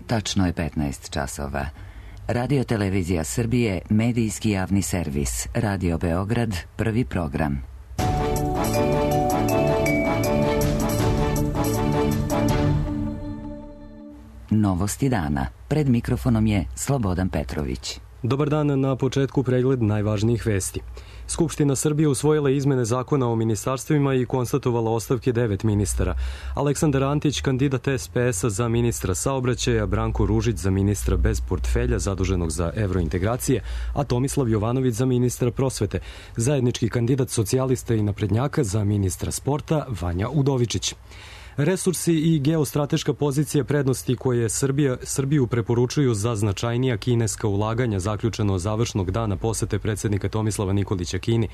Tačno je 15 časova. Radio Televizija Srbije, medijski javni servis. Radio Beograd, prvi program. Novosti dana. Pred mikrofonom je Slobodan Petrović. Dobar dan, na početku pregled najvažnijih vesti. Skupština Srbije usvojila izmene zakona o ministarstvima i konstatovala ostavke 9 ministara. Aleksandar Antić, kandidat SPS-a za ministra saobraćaja, Branko Ružić za ministra bez portfelja zaduženog za evrointegracije, a Tomislav Jovanović za ministra prosvete. Zajednički kandidat socijalista i naprednjaka za ministra sporta, Vanja Udovičić. Resursi i geostrateška pozicija prednosti koje Srbiju preporučuju za značajnija kineska ulaganja zaključeno završnog dana posete predsjednika Tomislava Nikolića Kini.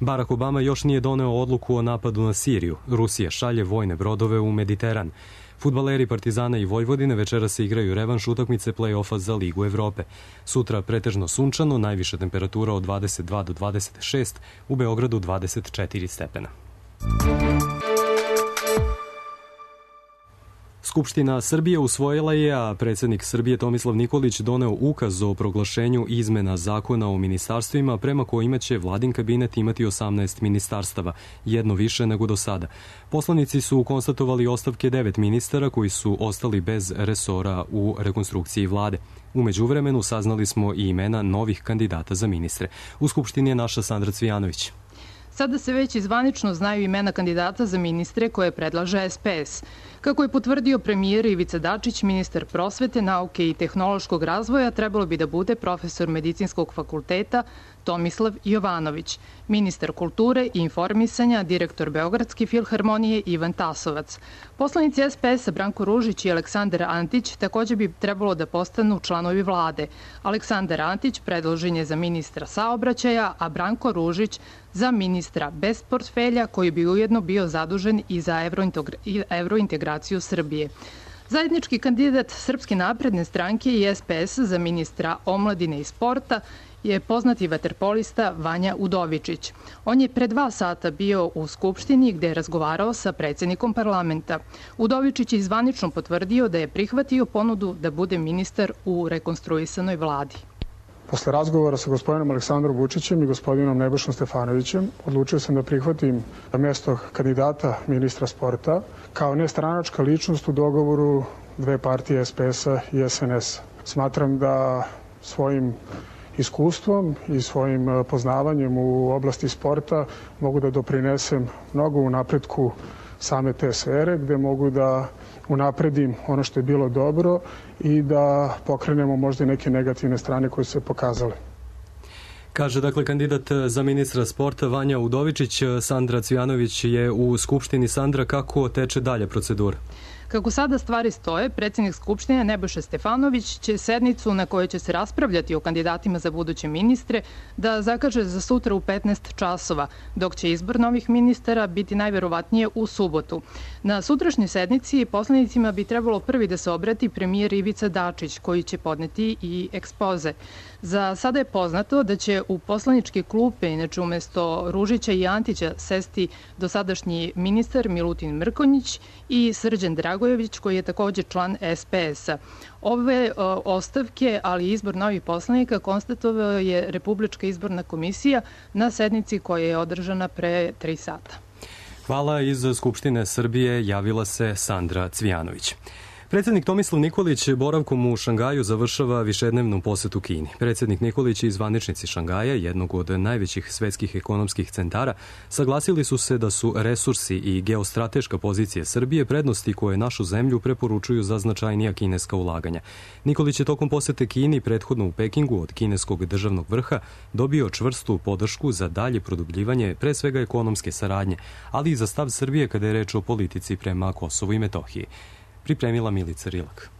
Barack Obama još nije doneo odluku o napadu na Siriju. Rusija šalje vojne brodove u Mediteran. Fudbaleri Partizana i Vojvodine večeras se igraju revanš utakmice play-offa za Ligu Evrope. Sutra pretežno sunčano, najviša temperatura od 22 do 26, u Beogradu 24 stepena. Skupština Srbije usvojila je, a predsjednik Srbije Tomislav Nikolić doneo ukaz o proglašenju izmena zakona o ministarstvima prema kojima će vladin kabinet imati 18 ministarstava, jedno više nego do sada. Poslanici su konstatovali ostavke 9 ministara koji su ostali bez resora u rekonstrukciji vlade. U međuvremenu saznali smo i imena novih kandidata za ministre. U Skupštini je naša Sandra Cvijanović. Sada se već zvanično znaju imena kandidata za ministre koje predlaže SPS. Kako je potvrdio premijer Ivica Dačić, ministar prosvete, nauke i tehnološkog razvoja trebalo bi da bude profesor medicinskog fakulteta Tomislav Jovanović, ministar kulture i informisanja, direktor Beogradske filharmonije Ivan Tasovac. Poslanici SPS-a Branko Ružić i Aleksandar Antić takođe bi trebalo da postanu članovi vlade. Aleksandar Antić predložen je za ministra saobraćaja, a Branko Ružić za ministra bez portfelja koji bi ujedno bio zadužen i za evrointegraciju Srbije. Zajednički kandidat Srpske napredne stranke i SPS za ministra omladine i sporta je poznati vaterpolista Vanja Udovičić. On je pre 2 sata bio u Skupštini gde je razgovarao sa predsjednikom parlamenta. Udovičić je zvanično potvrdio da je prihvatio ponudu da bude ministar u rekonstruisanoj vladi. Posle razgovora sa gospodinom Aleksandrom Vučićem i gospodinom Nebojšom Stefanovićem odlučio sam da prihvatim mesto kandidata ministra sporta kao nestranačka ličnost u dogovoru dve partije SPS-a i SNS-a. Smatram da svojim iskustvom i svojim poznavanjem u oblasti sporta mogu da doprinesem mnogo u napretku same te sfere, gde mogu da unapredim ono što je bilo dobro i da pokrenemo možda i neke negativne strane koje su se pokazale. Kaže, dakle, kandidat za ministra sporta Vanja Udovičić. Sandra Cvijanović je u Skupštini. Sandra, kako teče dalje procedura? Kako sada stvari stoje, predsjednik Skupštine Nebojša Stefanović će sednicu na kojoj će se raspravljati o kandidatima za buduće ministre da zakaže za sutra u 15 časova, dok će izbor novih ministara biti najverovatnije u subotu. Na sutrašnjoj sednici poslanicima bi trebalo prvi da se obrati premijer Ivica Dačić, koji će podneti i ekspoze. Za sada je poznato da će u poslaničke klupe, inače umesto Ružića i Antića, sesti dosadašnji ministar Milutin Mrkonjić i Srđan Dragojević, koji je takođe član SPS-a. Ove ostavke, ali i izbor novih poslanika, konstatovao je Republička izborna komisija na sednici koja je održana pre 3 sata. Hvala. Iz Skupštine Srbije javila se Sandra Cvijanović. Predsjednik Tomislav Nikolić boravkom u Šangaju završava višednevnu posetu Kini. Predsjednik Nikolić i zvaničnici Šangaja, jednog od najvećih svetskih ekonomskih centara, saglasili su se da su resursi i geostrateška pozicija Srbije prednosti koje našu zemlju preporučuju za značajnija kineska ulaganja. Nikolić je tokom posete Kini, prethodno u Pekingu, od kineskog državnog vrha dobio čvrstu podršku za dalje produbljivanje pre svega ekonomske saradnje, ali i za stav Srbije kada je reč o politici prema Kosovu i Metohiji. Pripremila Milica Rilak.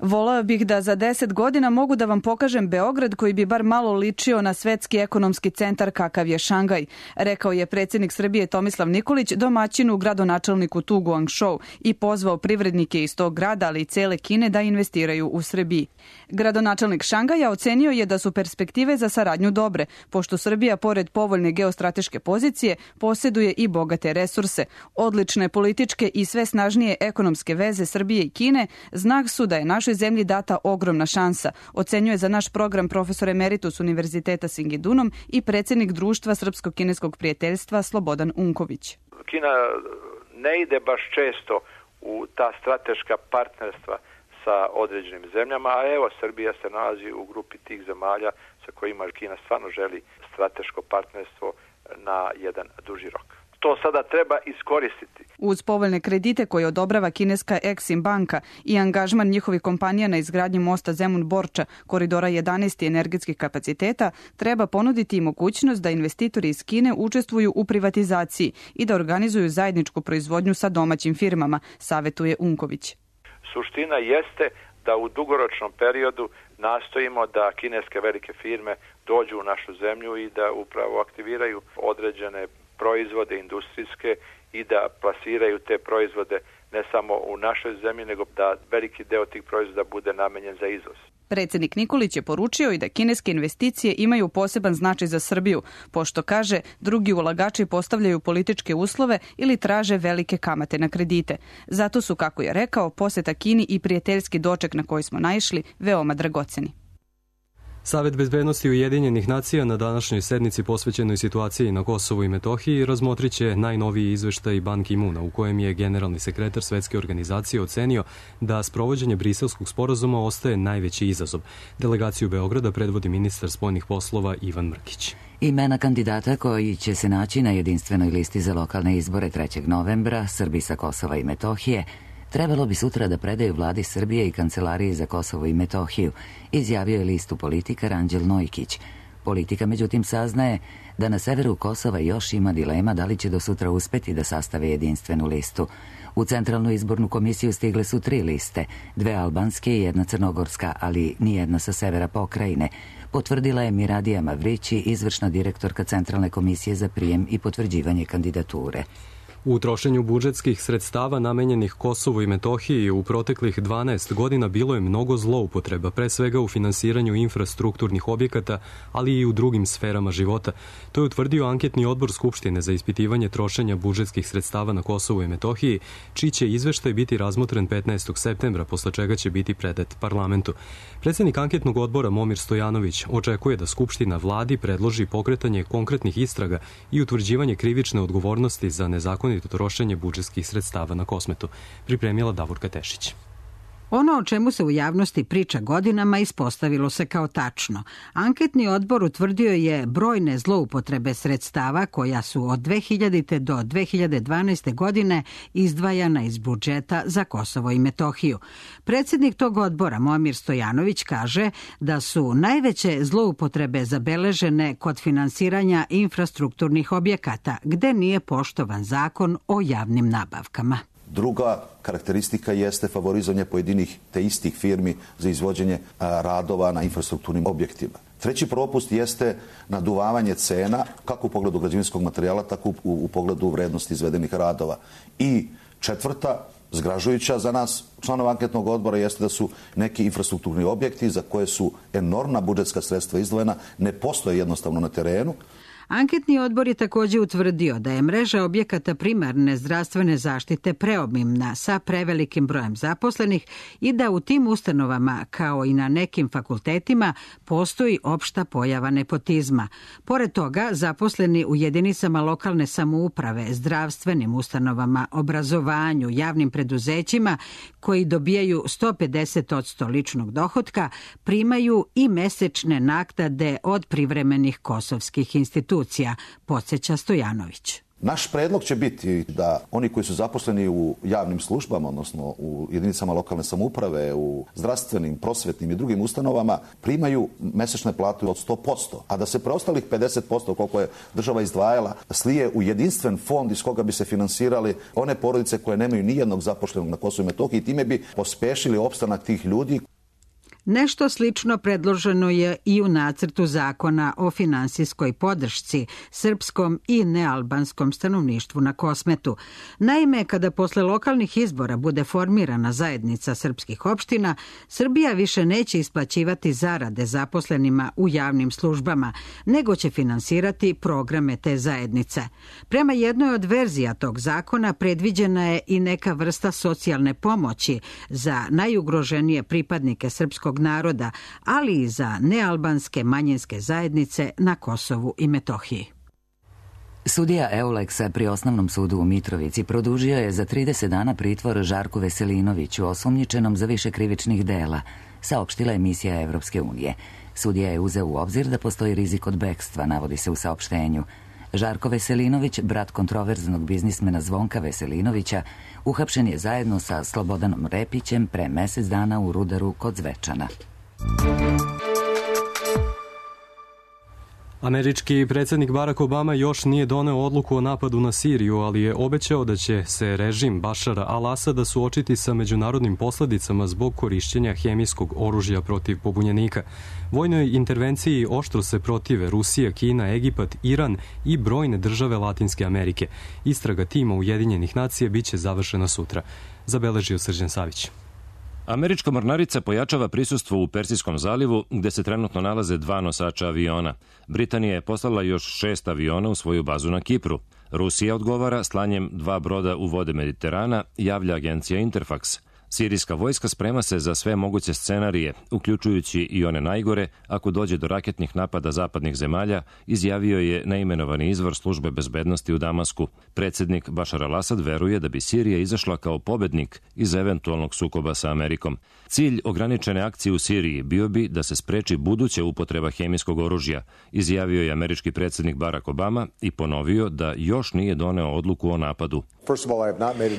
Voleo bih da za 10 godina mogu da vam pokažem Beograd koji bi bar malo ličio na svetski ekonomski centar kakav je Šangaj, rekao je predsjednik Srbije Tomislav Nikolić domaćinu gradonačelniku Tu Guangshou i pozvao privrednike iz tog grada, ali i cele Kine da investiraju u Srbiji. Gradonačelnik Šangaja ocenio je da su perspektive za saradnju dobre, pošto Srbija, pored povoljne geostrateške pozicije, posjeduje i bogate resurse. Odlične političke i sve snažnije ekonomske veze Srbije i Kine znak su da je naš našoj zemlji data ogromna šansa, ocenjuje za naš program profesor emeritus Univerziteta Singidunum i predsjednik Društva Srpsko-kineskog prijateljstva Slobodan Unković. Kina ne ide baš često u ta strateška partnerstva sa određenim zemljama, a evo Srbija se nalazi u grupi tih zemalja sa kojima Kina stvarno želi strateško partnerstvo na jedan duži rok. To sada treba iskoristiti. Uz povoljne kredite koje odobrava kineska Exim banka i angažman njihovih kompanija na izgradnji mosta Zemun-Borča, koridora 11 i energetskih kapaciteta, treba ponuditi i mogućnost da investitori iz Kine učestvuju u privatizaciji i da organizuju zajedničku proizvodnju sa domaćim firmama, savetuje Unković. Suština jeste da u dugoročnom periodu nastojimo da kineske velike firme dođu u našu zemlju i da upravo aktiviraju određene proizvode industrijske i da plasiraju te proizvode ne samo u našoj zemlji, nego da veliki deo tih proizvoda bude namenjen za izvoz. Predsjednik Nikolić je poručio i da kineske investicije imaju poseban značaj za Srbiju, pošto, kaže, drugi ulagači postavljaju političke uslove ili traže velike kamate na kredite. Zato su, kako je rekao, poseta Kini i prijateljski doček na koji smo naišli veoma dragoceni. Savet bezbednosti Ujedinjenih nacija na današnjoj sednici posvećenoj situaciji na Kosovu i Metohiji razmotrit će najnoviji izveštaj Ban Ki-moona u kojem je generalni sekretar Svetske organizacije ocenio da sprovođenje Briselskog sporazuma ostaje najveći izazov. Delegaciju Beograda predvodi ministar spoljnih poslova Ivan Mrkić. Imena kandidata koji će se naći na jedinstvenoj listi za lokalne izbore 3. novembra, Srbi sa Kosova i Metohije, trebalo bi sutra da predaju vladi Srbije i Kancelariji za Kosovo i Metohiju, izjavio je listu Politika Ranđel Nojkić. Politika međutim saznaje da na severu Kosova još ima dilema da li će do sutra uspeti da sastave jedinstvenu listu. U Centralnu izbornu komisiju stigle su 3 liste, 2 albanske i 1 crnogorska, ali nijedna sa severa pokrajine. Potvrdila je Miradija Mavrići, izvršna direktorka Centralne komisije za prijem i potvrđivanje kandidature. U trošenju budžetskih sredstava namenjenih Kosovu i Metohiji u proteklih 12 godina bilo je mnogo zloupotreba, pre svega u finansiranju infrastrukturnih objekata, ali i u drugim sferama života. To je utvrdio anketni odbor Skupštine za ispitivanje trošenja budžetskih sredstava na Kosovu i Metohiji, čiji će izveštaj biti razmotren 15. septembra, posle čega će biti predat parlamentu. Predsjednik anketnog odbora Momir Stojanović očekuje da Skupština vladi predloži pokretanje konkretnih istraga i utvrđivanje krivične odgovornosti za nezakonito trošenje budžetskih sredstava na Kosmetu, pripremila Davorka Tešić. Ono o čemu se u javnosti priča godinama ispostavilo se kao tačno. Anketni odbor utvrdio je brojne zloupotrebe sredstava koja su od 2000. do 2012. godine izdvajana iz budžeta za Kosovo i Metohiju. Predsjednik tog odbora, Momir Stojanović, kaže da su najveće zloupotrebe zabeležene kod finansiranja infrastrukturnih objekata, gde nije poštovan zakon o javnim nabavkama. Druga karakteristika jeste favorizovanje pojedinih te istih firmi za izvođenje radova na infrastrukturnim objektima. Treći propust jeste naduvavanje cena, kako u pogledu građevinskog materijala, tako u pogledu vrednosti izvedenih radova. I četvrta, zgražujuća za nas, članova anketnog odbora, jeste da su neki infrastrukturni objekti za koje su enormna budžetska sredstva izdvojena, ne postoje jednostavno na terenu. Anketni odbor je također utvrdio da je mreža objekata primarne zdravstvene zaštite preobimna sa prevelikim brojem zaposlenih i da u tim ustanovama, kao i na nekim fakultetima, postoji opšta pojava nepotizma. Pored toga, zaposleni u jedinicama lokalne samouprave, zdravstvenim ustanovama, obrazovanju, javnim preduzećima, koji dobijaju 150% ličnog dohotka, primaju i mesečne naknade od privremenih kosovskih institucija, podsjeća Stojanović. Naš predlog će biti da oni koji su zaposleni u javnim službama, odnosno u jedinicama lokalne samouprave, u zdravstvenim, prosvetnim i drugim ustanovama, primaju mesečne plate od 100%, a da se preostalih 50%, koliko je država izdvajala, slije u jedinstven fond iz koga bi se finansirali one porodice koje nemaju nijednog zaposlenog na Kosovu i Metohiji i time bi pospešili opstanak tih ljudi. Nešto slično predloženo je i u nacrtu zakona o finansijskoj podršci srpskom i nealbanskom stanovništvu na Kosmetu. Naime, kada posle lokalnih izbora bude formirana zajednica srpskih opština, Srbija više neće isplaćivati zarade zaposlenima u javnim službama, nego će finansirati programe te zajednice. Prema jednoj od verzija tog zakona predviđena je i neka vrsta socijalne pomoći za najugroženije pripadnike srpskog naroda, ali i za nealbanske manjinske zajednice na Kosovu i Metohiji. Sudija Euleksa pri Osnovnom sudu u Mitrovici produžio je za 30 dana pritvor Žarku Veselinoviću, osumnjičenom za više krivičnih dela, saopštila emisija Evropske unije. Sudija je uzeo u obzir da postoji rizik od bekstva, navodi se u saopštenju. Žarko Veselinović, brat kontroverznog biznismena Zvonka Veselinovića, uhapšen je zajedno sa Slobodanom Repićem pre mesec dana u Rudaru kod Zvečana. Američki predsjednik Barack Obama još nije doneo odluku o napadu na Siriju, ali je obećao da će se režim Bašara al-Asada suočiti sa međunarodnim posledicama zbog korišćenja hemijskog oružja protiv pobunjenika. Vojnoj intervenciji oštro se protive Rusija, Kina, Egipat, Iran i brojne države Latinske Amerike. Istraga tima Ujedinjenih nacija biće završena sutra, zabeležio Srđan Savić. Američka mornarica pojačava prisustvo u Persijskom zalivu, gde se trenutno nalaze 2 nosača aviona. Britanija je poslala još 6 aviona u svoju bazu na Kipru. Rusija odgovara slanjem 2 broda u vode Mediterana, javlja agencija Interfax. Sirijska vojska sprema se za sve moguće scenarije, uključujući i one najgore, ako dođe do raketnih napada zapadnih zemalja, izjavio je neimenovani izvor službe bezbednosti u Damasku. Predsjednik Bašar al-Asad veruje da bi Sirija izašla kao pobednik iz eventualnog sukoba sa Amerikom. Cilj ograničene akcije u Siriji bio bi da se spreči buduća upotreba hemijskog oružja, izjavio je američki predsjednik Barack Obama i ponovio da još nije doneo odluku o napadu.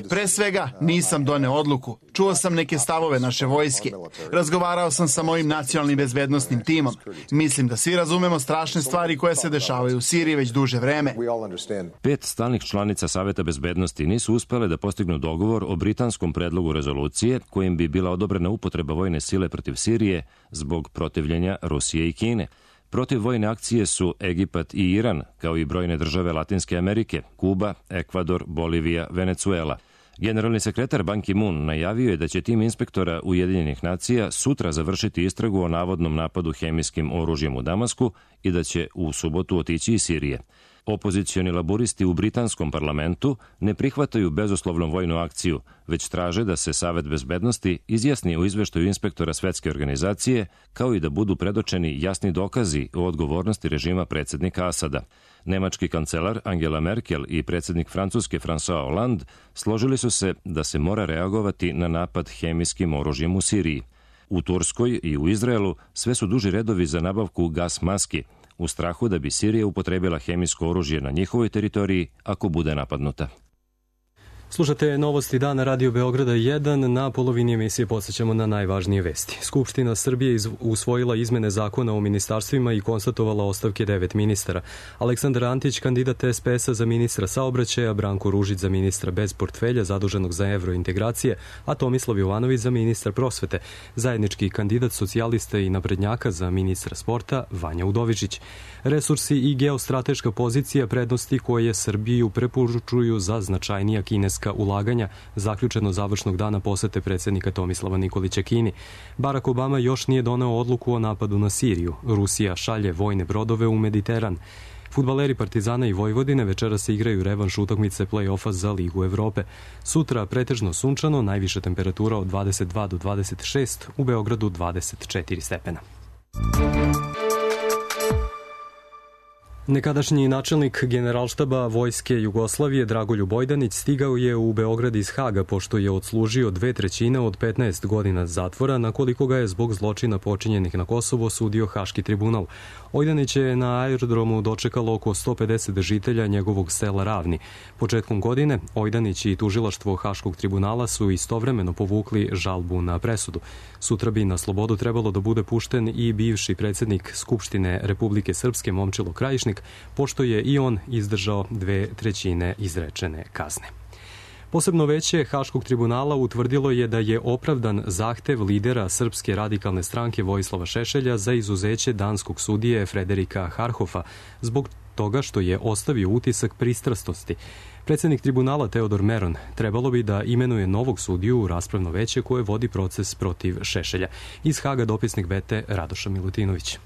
Pre svega, nisam doneo odluku. Čuo sam neke stavove naše vojske. Razgovarao sam sa mojim nacionalnim bezbednostnim timom. Mislim da svi razumemo strašne stvari koje se dešavaju u Siriji već duže vreme. 5 stalnih članica Saveta bezbednosti nisu uspele da postignu dogovor o britanskom predlogu rezolucije kojim bi bila odobrena upotreba vojne sile protiv Sirije zbog protivljenja Rusije i Kine. Protiv vojne akcije su Egipat i Iran, kao i brojne države Latinske Amerike, Kuba, Ekvador, Bolivija, Venecuela. Generalni sekretar Ban Ki-moon najavio je da će tim inspektora Ujedinjenih nacija sutra završiti istragu o navodnom napadu hemijskim oružjem u Damasku i da će u subotu otići iz Sirije. Opozicioni laburisti u britanskom parlamentu ne prihvataju bezuslovnu vojnu akciju, već traže da se Savet bezbednosti izjasni o izveštaju inspektora Svetske organizacije, kao i da budu predočeni jasni dokazi o odgovornosti režima predsjednika Asada. Nemački kancelar Angela Merkel i predsjednik Francuske François Hollande složili su se da se mora reagovati na napad hemijskim oružjem u Siriji. U Turskoj i u Izraelu sve su duži redovi za nabavku gas maski, u strahu da bi Sirija upotrebila hemijsko oružje na njihovoj teritoriji ako bude napadnuta. Slušate novosti dana Radio Beograda 1. Na polovini emisije podsjećamo na najvažnije vesti. Skupština Srbije usvojila izmene zakona o ministarstvima i konstatovala ostavke 9 ministara. Aleksandar Antić, kandidat SPS-a za ministra saobraćaja, Branko Ružić za ministra bez portfelja zaduženog za evrointegracije, a Tomislav Jovanović za ministra prosvete. Zajednički kandidat socijalista i naprednjaka za ministra sporta, Vanja Udovičić. Resursi i geostrateška pozicija prednosti koje Srbiju preporučuju za značajnija kineska ulaganja, zaključeno završnog dana posete predsjednika Tomislava Nikolića Kini. Barack Obama još nije doneo odluku o napadu na Siriju. Rusija šalje vojne brodove u Mediteran. Fudbaleri Partizana i Vojvodine večera se igraju revanš utakmice play-offa za Ligu Evrope. Sutra pretežno sunčano, najviša temperatura od 22 do 26, u Beogradu 24 stepena. Nekadašnji načelnik Generalštaba Vojske Jugoslavije Dragoljub Ojdanić stigao je u Beograd iz Haga pošto je odslužio 2/3 od 15 godina zatvora na koliko ga je zbog zločina počinjenih na Kosovo sudio Haški tribunal. Ojdanić je na aerodromu dočekalo oko 150 žitelja njegovog sela Ravni. Početkom godine Ojdanić i tužilaštvo Haškog tribunala su istovremeno povukli žalbu na presudu. Sutra bi na slobodu trebalo da bude pušten i bivši predsjednik Skupštine Republike Srpske Momčilo Krajišnik, pošto je i on izdržao 2/3 izrečene kazne. Posebno veće Haškog tribunala utvrdilo je da je opravdan zahtev lidera Srpske radikalne stranke Vojislava Šešelja za izuzeće danskog sudije Frederika Harhofa zbog toga što je ostavio utisak pristrasnosti. Predsjednik tribunala Teodor Meron trebalo bi da imenuje novog sudiju u raspravno veće koje vodi proces protiv Šešelja. Iz Haga dopisnik Bete Radoša Milutinović.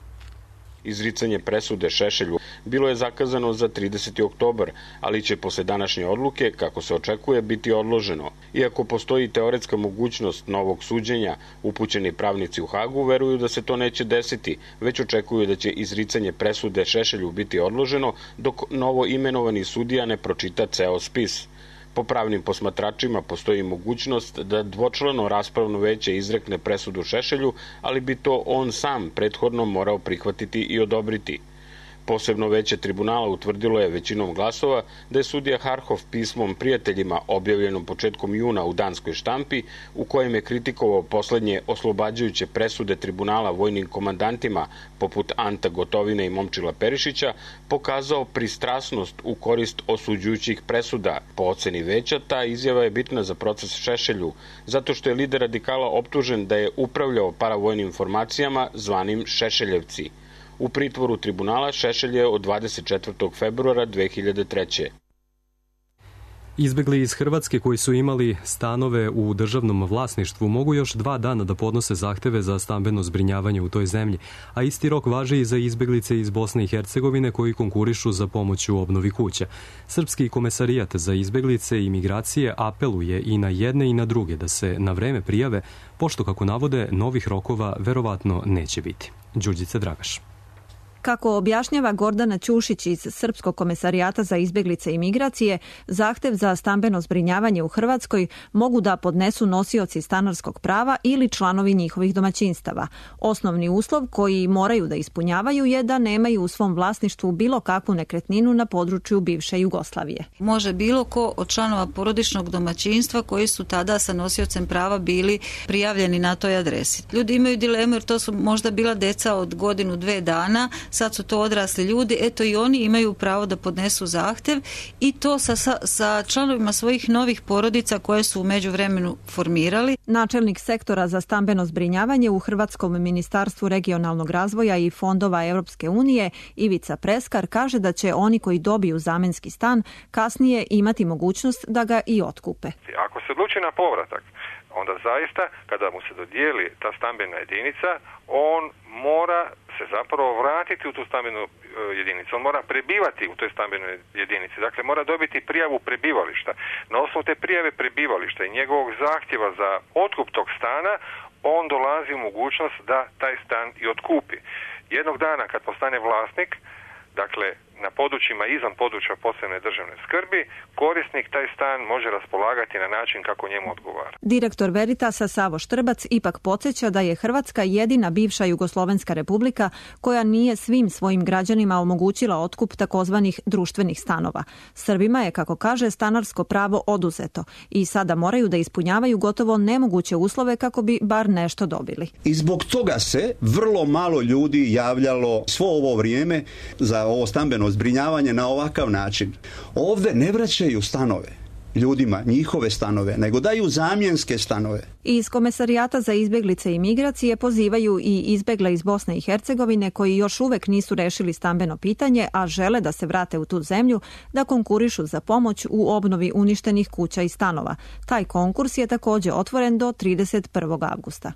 Izricanje presude Šešelju bilo je zakazano za 30. oktobar, ali će posle današnje odluke, kako se očekuje, biti odloženo. Iako postoji teoretska mogućnost novog suđenja, upućeni pravnici u Hagu veruju da se to neće desiti, već očekuju da će izricanje presude Šešelju biti odloženo dok novo imenovani sudija ne pročita ceo spis. Po pravnim posmatračima postoji mogućnost da dvočlano raspravno veće izrekne presudu Šešelju, ali bi to on sam prethodno morao prihvatiti i odobriti. Posebno veće tribunala utvrdilo je većinom glasova da je sudija Harhof pismom prijateljima objavljenom početkom juna u danskoj štampi, u kojem je kritikovao poslednje oslobađajuće presude tribunala vojnim komandantima poput Anta Gotovine i Momčila Perišića, pokazao pristrasnost u korist osuđujućih presuda. Po oceni veća, ta izjava je bitna za proces Šešelju, zato što je lider radikala optužen da je upravljao paravojnim formacijama zvanim Šešeljevci. U pritvoru tribunala Šešelj je od 24. februara 2003. Izbegli iz Hrvatske koji su imali stanove u državnom vlasništvu mogu još 2 dana da podnose zahteve za stambeno zbrinjavanje u toj zemlji, a isti rok važi i za izbeglice iz Bosne i Hercegovine koji konkurišu za pomoć u obnovi kuća. Srpski komesarijat za izbeglice i migracije apeluje i na jedne i na druge da se na vreme prijave, pošto, kako navode, novih rokova verovatno neće biti. Đurđica Dragaš. Kako objašnjava Gordana Ćušić iz Srpskog komesarijata za izbeglice i migracije, zahtev za stambeno zbrinjavanje u Hrvatskoj mogu da podnesu nosioci stanarskog prava ili članovi njihovih domaćinstava. Osnovni uslov koji moraju da ispunjavaju je da nemaju u svom vlasništvu bilo kakvu nekretninu na području bivše Jugoslavije. Može bilo ko od članova porodičnog domaćinstva koji su tada sa nosiocem prava bili prijavljeni na toj adresi. Ljudi imaju dilemu jer to su možda bila deca od 1-2 dana, sad su to odrasli ljudi, eto i oni imaju pravo da podnesu zahtev i to sa članovima svojih novih porodica koje su u međuvremenu formirali. Načelnik sektora za stambeno zbrinjavanje u Hrvatskom ministarstvu regionalnog razvoja i fondova Europske unije Ivica Preskar kaže da će oni koji dobiju zamenski stan kasnije imati mogućnost da ga i otkupe. Ako se odluči na povratak, onda zaista kada mu se dodijeli ta stambena jedinica, on mora se zapravo vratiti u tu stambenu jedinicu. On mora prebivati u toj stambenoj jedinici. Dakle, mora dobiti prijavu prebivališta. Na osnovu te prijave prebivališta i njegovog zahtjeva za otkup tog stana, on dolazi u mogućnost da taj stan i otkupi. Jednog dana kad postane vlasnik, dakle, na područjima izvan područja posebne državne skrbi, korisnik taj stan može raspolagati na način kako njemu odgovara. Direktor Veritasa Savo Štrbac ipak podsjeća da je Hrvatska jedina bivša Jugoslovenska republika koja nije svim svojim građanima omogućila otkup takozvanih društvenih stanova. Srbima je, kako kaže, stanarsko pravo oduzeto i sada moraju da ispunjavaju gotovo nemoguće uslove kako bi bar nešto dobili. I zbog toga se vrlo malo ljudi javljalo svo ovo vrijeme za ovo stambeno zbrinjavanje na ovakav način. Ovdje ne vraćaju stanove ljudima, njihove stanove, nego daju zamjenske stanove. Iz Komesarijata za izbjeglice i migracije pozivaju i izbjegle iz Bosne i Hercegovine koji još uvek nisu rešili stambeno pitanje, a žele da se vrate u tu zemlju, da konkurišu za pomoć u obnovi uništenih kuća i stanova. Taj konkurs je također otvoren do 31. avgusta.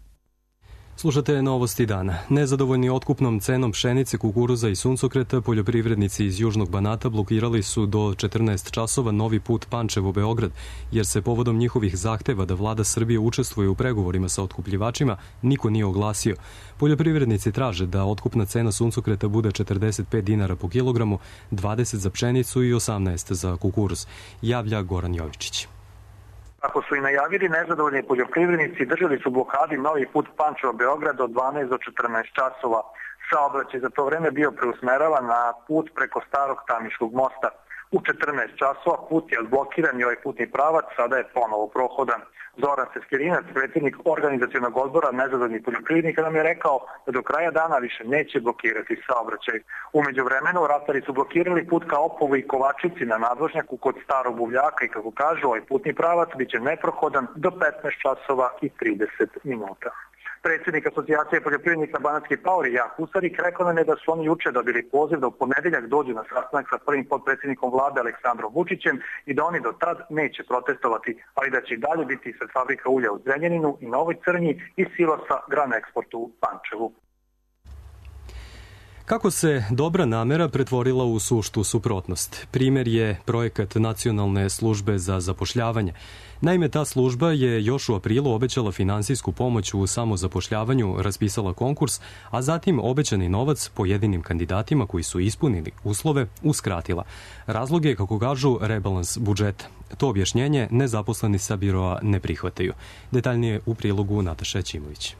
Slušate novosti dana. Nezadovoljni otkupnom cenom pšenice, kukuruza i suncokreta, poljoprivrednici iz Južnog Banata blokirali su do 14 časova novi put Pančevo-Beograd, jer se povodom njihovih zahteva da vlada Srbije učestvuje u pregovorima sa otkupljivačima niko nije oglasio. Poljoprivrednici traže da otkupna cena suncokreta bude 45 dinara po kilogramu, 20 za pšenicu i 18 za kukuruz, javlja Goran Jovičić. Kako su i najavili, nezadovoljni poljoprivrednici držali su blokadi novi put Pančevo-Beograd od 12 do 14 časova. Saobraćaj za to vreme bio preusmeravan na put preko starog Tamiškog mosta. u 14 časova. Put je odblokiran i ovaj putni pravac sada je ponovo prohodan. Zoran Seskerinac, predsjednik organizacionog odbora nezadovoljnih poljoprivrednika, nam je rekao da do kraja dana više neće blokirati saobraćaj. U međuvremenu ratari su blokirali put ka Opovu i Kovačici na nadvožnjaku kod Starog Buvljaka i kako kažu, ovaj putni pravac biće neprohodan do 15 časova i 30 minuta. Predsjednik Asocijacije poljoprivrednika Banatski Paori Jak Husarik rekao nam je da su oni juče dobili poziv da u ponedeljak dođu na sastanak sa prvim potpredsjednikom vlade Aleksandrom Vučićem i da oni do tad neće protestovati, ali da će i dalje biti ispred fabrika ulja u Zrenjaninu i Novoj Crnji i silosa Gran Eksportu u Pančevu. Kako se dobra namera pretvorila u suštu suprotnost? Primjer je projekat Nacionalne službe za zapošljavanje. Naime, ta služba je još u aprilu obećala finansijsku pomoć u samozapošljavanju, raspisala konkurs, a zatim obećani novac pojedinim kandidatima koji su ispunili uslove uskratila. Razlog je, kako kažu, rebalans budžeta. To objašnjenje nezaposleni sa biroa ne prihvataju. Detaljnije u prilogu Nataša Ćimović.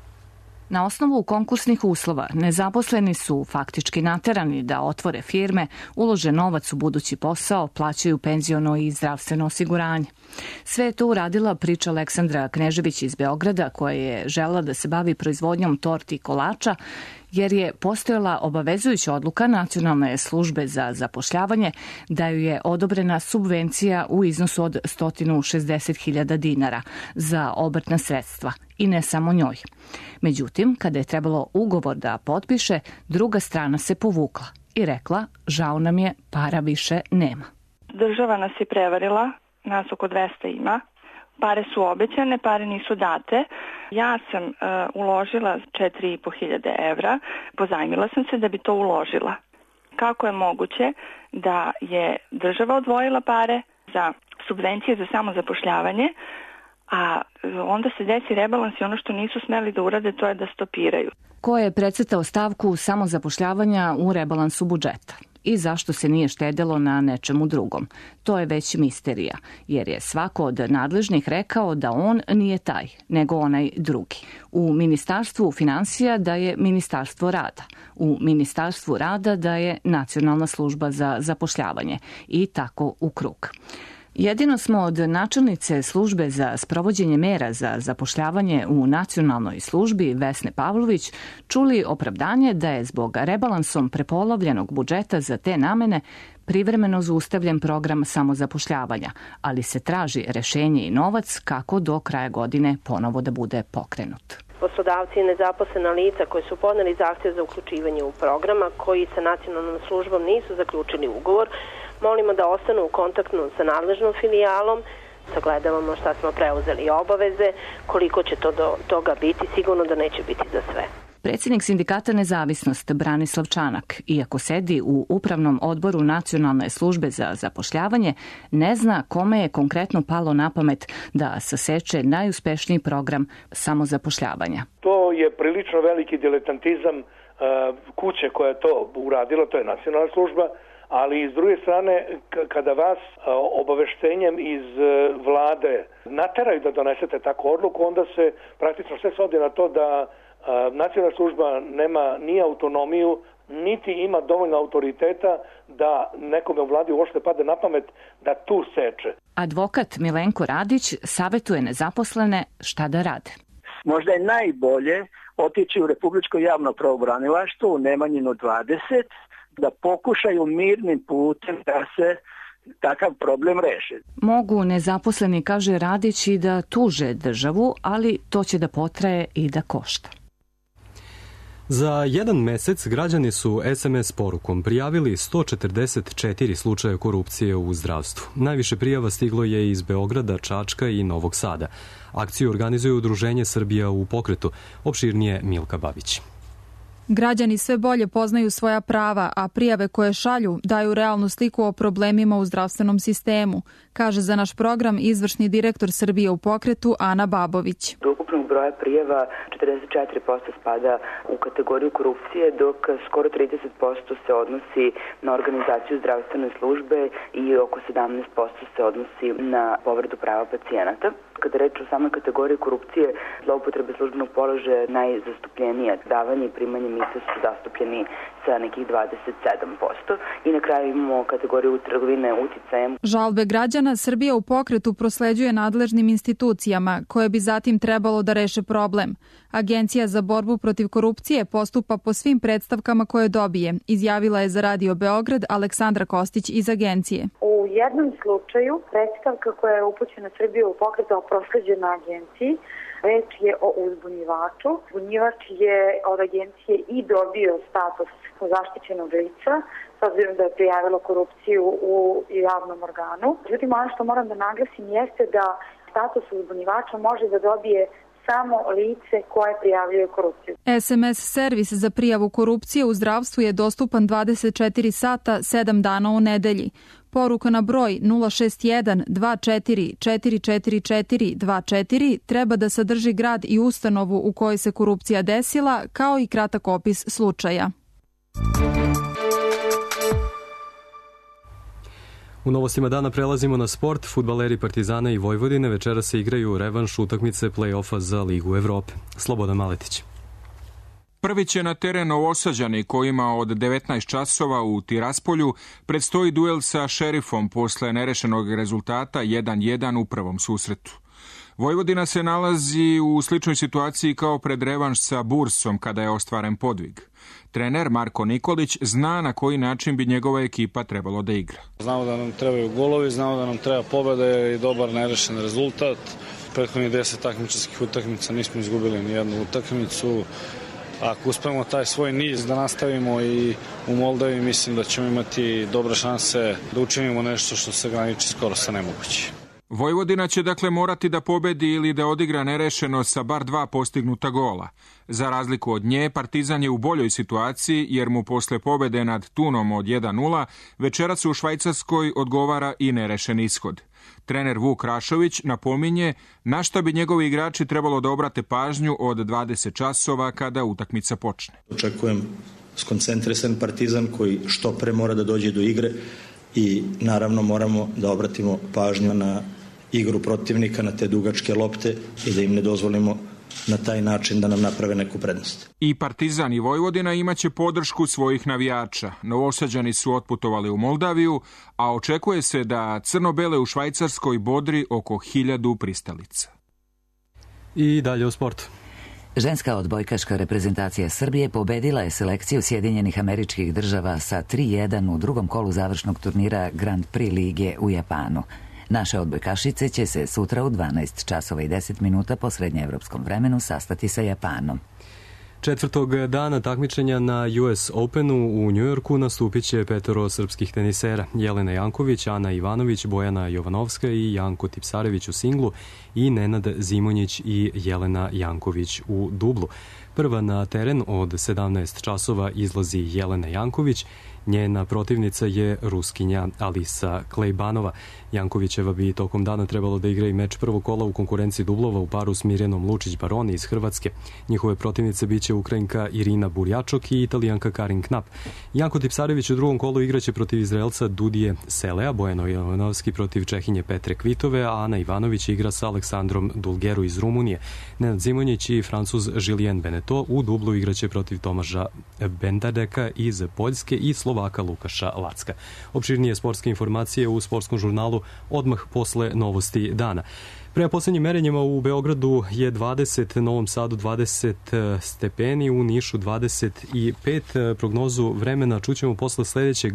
Na osnovu konkursnih uslova nezaposleni su faktički naterani da otvore firme, ulože novac u budući posao, plaćaju penziono i zdravstveno osiguranje. Sve je to uradila priča Aleksandra Knežević iz Beograda, koja je želela da se bavi proizvodnjom torti i kolača, jer je postojala obavezujuća odluka Nacionalne službe za zapošljavanje da ju je odobrena subvencija u iznosu od 160.000 dinara za obrtna sredstva i ne samo njoj. Međutim, kada je trebalo ugovor da potpiše, druga strana se povukla i rekla: žao nam je, para više nema. Država nas je prevarila, nas oko 200 ima. Pare su obećane, pare nisu date. Ja sam uložila 4.500 evra, pozajmila sam se da bi to uložila. Kako je moguće da je država odvojila pare za subvencije za samozapošljavanje, a onda se desi rebalans i ono što nisu smeli da urade, to je da stopiraju. Ko je precrtao stavku samozapošljavanja u rebalansu budžeta? I zašto se nije štedelo na nečemu drugom? To je već misterija, jer je svako od nadležnih rekao da on nije taj, nego onaj drugi. U Ministarstvu finansija da je Ministarstvo rada, u Ministarstvu rada da je Nacionalna služba za zapošljavanje i tako u krug. Jedino smo od načelnice službe za sprovođenje mera za zapošljavanje u nacionalnoj službi Vesne Pavlović čuli opravdanje da je zbog rebalansom prepolovljenog budžeta za te namene privremeno zaustavljen program samozapošljavanja, ali se traži rešenje i novac kako do kraja godine ponovo da bude pokrenut. Poslodavci i nezaposlena lica koji su podneli zahtjev za uključivanje u programa, koji sa nacionalnom službom nisu zaključili ugovor, molimo da ostanu u kontaktu sa nadležnom filijalom, sagledavamo šta smo preuzeli obaveze, koliko će to do toga biti, sigurno da neće biti za sve. Predsjednik sindikata Nezavisnost Branislav Čanak, iako sedi u upravnom odboru Nacionalne službe za zapošljavanje, ne zna kome je konkretno palo na pamet da saseče najuspešniji program samozapošljavanja. To je prilično veliki diletantizam kuće koja je to uradila, to je Nacionalna služba, ali s druge strane, kada vas obaveštenjem iz vlade nateraju da donesete takvu odluku, onda se praktično sve svodi na to da Nacionalna služba nema ni autonomiju, niti ima dovoljno autoriteta da nekome u vladi uopšte pade na pamet da tu seče. Advokat Milenko Radić savjetuje nezaposlene šta da rade. Možda je najbolje otići u Republičko javno pravobranilaštvo u Nemanjinu 20, da pokušaju mirnim putem da se takav problem reši. Mogu nezaposleni, kaže Radić, i da tuže državu, ali to će da potraje i da košta. Za jedan mesec građani su SMS porukom prijavili 144 slučaja korupcije u zdravstvu. Najviše prijava stiglo je iz Beograda, Čačka i Novog Sada. Akciju organizuje Udruženje Srbija u pokretu. Opširnije Milka Babić. Građani sve bolje poznaju svoja prava, a prijave koje šalju daju realnu sliku o problemima u zdravstvenom sistemu, kaže za naš program izvršni direktor Srbije u pokretu Ana Babović. Do ukupnog broja broja prijava 44% spada u kategoriju korupcije, dok skoro 30% se odnosi na organizaciju zdravstvene službe i oko 17% se odnosi na povredu prava pacijenata. Kada reč o samoj kategoriji korupcije, zloupotrebe službenog položaja je najzastupljenija. Davanje i primanje mita su zastupljeni sa nekih 27%. I na kraju imamo kategoriju trgovine uticajem. Žalbe građana Srbija u pokretu prosleđuje nadležnim institucijama, koje bi zatim trebalo da reše problem. Agencija za borbu protiv korupcije postupa po svim predstavkama koje dobije, izjavila je za Radio Beograd Aleksandra Kostić iz agencije. U jednom slučaju predstavka koja je upućena Srbiju u pokretu prosleđena agenciji, reč je o uzbunjivaču. Uzbunjivač je od agencije i dobio status zaštićenog lica, s obzirom da je prijavilo korupciju u javnom organu. Međutim, ono što moram da naglasim jeste da status uzbunjivača može da dobije samo lice koje prijavljuje korupciju. SMS servis za prijavu korupcije u zdravstvu je dostupan 24 sata, 7 dana u nedelji. Poruka na broj 061 24 444 24 treba da sadrži grad i ustanovu u kojoj se korupcija desila, kao i kratak opis slučaja. U novostima dana prelazimo na sport. Fudbaleri Partizana i Vojvodine večera se igraju revanš utakmice play-offa za Ligu Evrope. Slobodan Maletić. Prvi će na teren Novosađani kojima od 19 časova u Tiraspolju predstoji duel sa Šerifom posle nerešenog rezultata 1-1 u prvom susretu. Vojvodina se nalazi u sličnoj situaciji kao pred revanš sa Bursom kada je ostvaren podvig. Trener Marko Nikolić zna na koji način bi njegova ekipa trebalo da igra. Znamo da nam trebaju golovi, znamo da nam treba pobeda i dobar nerešen rezultat. Prethodnih 10 takmičarskih utakmica nismo izgubili ni jednu utakmicu. Ako uspemo taj svoj niz da nastavimo i u Moldavi, mislim da ćemo imati dobre šanse da učinimo nešto što se graniči skoro sa nemoguće. Vojvodina će dakle morati da pobedi ili da odigra nerešeno sa bar 2 postignuta gola. Za razliku od nje, Partizan je u boljoj situaciji jer mu posle pobede nad Tunom od 1-0 večeras u Švajcarskoj odgovara i nerešen ishod. Trener Vuk Rašović napominje na šta bi njegovi igrači trebalo da obrate pažnju od 20 časova kada utakmica počne. Očekujem skoncentrisan Partizan koji što pre mora da dođe do igre i naravno moramo da obratimo pažnju na igru protivnika, na te dugačke lopte i da im ne dozvolimo na taj način da nam naprave neku prednost. I Partizan i Vojvodina imaće podršku svojih navijača. Novosađani su otputovali u Moldaviju, a očekuje se da crno-bele u Švajcarskoj bodri oko 1000 pristalica. I dalje o sportu. Ženska odbojkaška reprezentacija Srbije pobedila je selekciju Sjedinjenih Američkih Država sa 3-1 u drugom kolu završnog turnira Grand Prix lige u Japanu. Naše odbojkašice će se sutra u 12 časova i 10 minuta po srednjeevropskom vremenu sastati sa Japanom. Četvrtog dana takmičenja na US Openu u Njujorku nastupit će 5 srpskih tenisera. Jelena Janković, Ana Ivanović, Bojana Jovanovska i Janko Tipsarević u singlu i Nenad Zimonjić i Jelena Janković u dublu. Prva na teren od 17 časova izlazi Jelena Janković. Njena protivnica je Ruskinja Alisa Klejbanova. Jankovićeva bi tokom dana trebalo da igra i meč prvog kola u konkurenciji dublova u paru s Mirjanom Lučić-Baroni iz Hrvatske. Njihove protivnice biće Ukrajinka Irina Burjačok i Italijanka Karin Knap. Janko Tipsarević u drugom kolu igraće protiv Izraelca Dudije Selea, Bojano Jovanovski protiv Čehinje Petre Kvitove, a Ana Ivanović igra sa Aleksandrom Dulgeru iz Rumunije. Nenad Zimonjić i Francuz Julien Beneteau u dublu igraće protiv Tomaža Bendadeka iz Poljske i Slovaka Lukaša Lacka. Opširnije sportske informacije u sportskom žurnalu odmah posle novosti dana. Prema poslednjim merenjima u Beogradu je 20, Novom Sadu 20 stepeni, u Nišu 25. Prognozu vremena čućemo posle sledećeg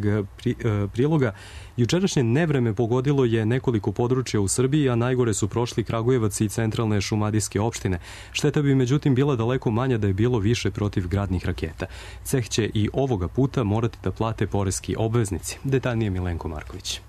priloga. Jučerašnje nevreme pogodilo je nekoliko područja u Srbiji, a najgore su prošli Kragujevac i centralne šumadijske opštine. Šteta bi međutim bila daleko manja da je bilo više protivgradnih raketa. Ceh će i ovoga puta morati da plate poreski obveznici. Detaljnije Milenko Marković.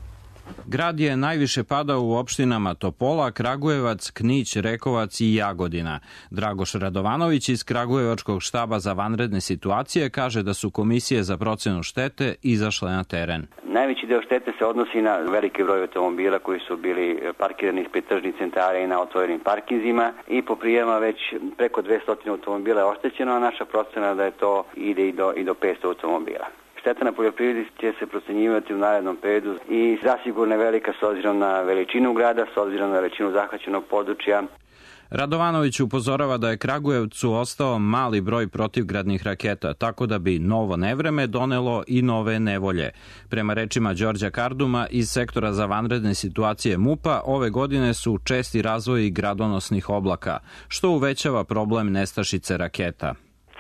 Grad je najviše padao u opštinama Topola, Kragujevac, Knić, Rekovac i Jagodina. Dragoš Radovanović iz Kragujevačkog štaba za vanredne situacije kaže da su komisije za procenu štete izašle na teren. Najveći deo štete se odnosi na veliki broj automobila koji su bili parkirani ispred tržnih centara i na otvorenim parkinzima i po prijavama već preko 200 automobila je oštećeno, a naša procena da je to ide i do 500 automobila. Šteta na poljoprivredi će se procenjivati u narednom periodu i zasigurno je velika s obzirom na veličinu grada, s obzirom na veličinu zahvaćenog područja. Radovanović upozorava da je Kragujevcu ostao mali broj protivgradnih raketa, tako da bi novo nevreme donelo i nove nevolje. Prema rečima Đorđa Karduma iz sektora za vanredne situacije MUP-a, ove godine su česti razvoji gradonosnih oblaka, što uvećava problem nestašice raketa.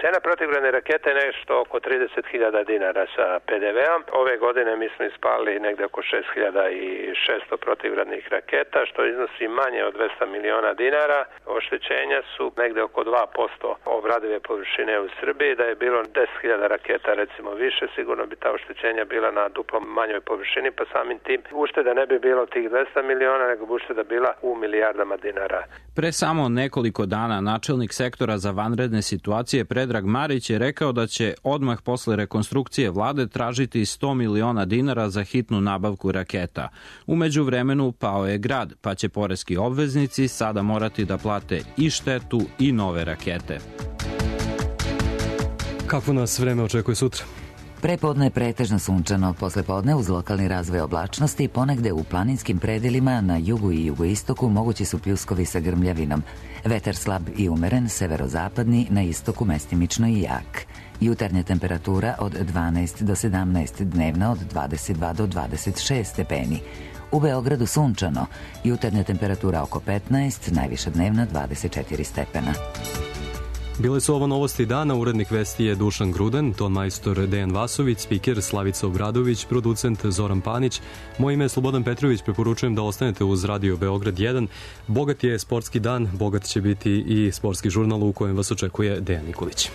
Cena protivgradne rakete je nešto oko 30.000 dinara sa PDV-om. Ove godine mi smo ispalili negde oko 6.600 protivgradnih raketa, što iznosi manje od 200 miliona dinara. Oštećenja su negde oko 2% obradive površine u Srbiji. Da je bilo 10.000 raketa recimo više, sigurno bi ta oštećenja bila na duplo manjoj površini, pa samim tim ušteda ne bi bilo tih 200 miliona, nego bi ušteda bila u milijardama dinara. Pre samo nekoliko dana načelnik sektora za vanredne situacije Predrag Marić je rekao da će odmah posle rekonstrukcije vlade tražiti 100 miliona dinara za hitnu nabavku raketa. U međuvremenu pao je grad, pa će poreski obveznici sada morati da plate i štetu i nove rakete. Kako nas vreme očekuje sutra? Prepodne je pretežno sunčano, poslepodne uz lokalni razvoj oblačnosti, ponegde u planinskim predelima na jugu i jugoistoku mogući su pljuskovi sa grmljavinom. Vetar slab i umeren, severozapadni, na istoku mestimično i jak. Jutarnja temperatura od 12 do 17, dnevna od 22 do 26 stepeni. U Beogradu sunčano, jutarnja temperatura oko 15, najviša dnevna 24 stepena. Bile su ovo novosti dana, urednik vesti je Dušan Gruden, ton majstor Dejan Vasović, spiker Slavica Obradović, producent Zoran Panić. Moje ime je Slobodan Petrović, preporučujem da ostanete uz Radio Beograd 1. Bogat je sportski dan, bogat će biti i sportski žurnal u kojem vas očekuje Dejan Nikolić.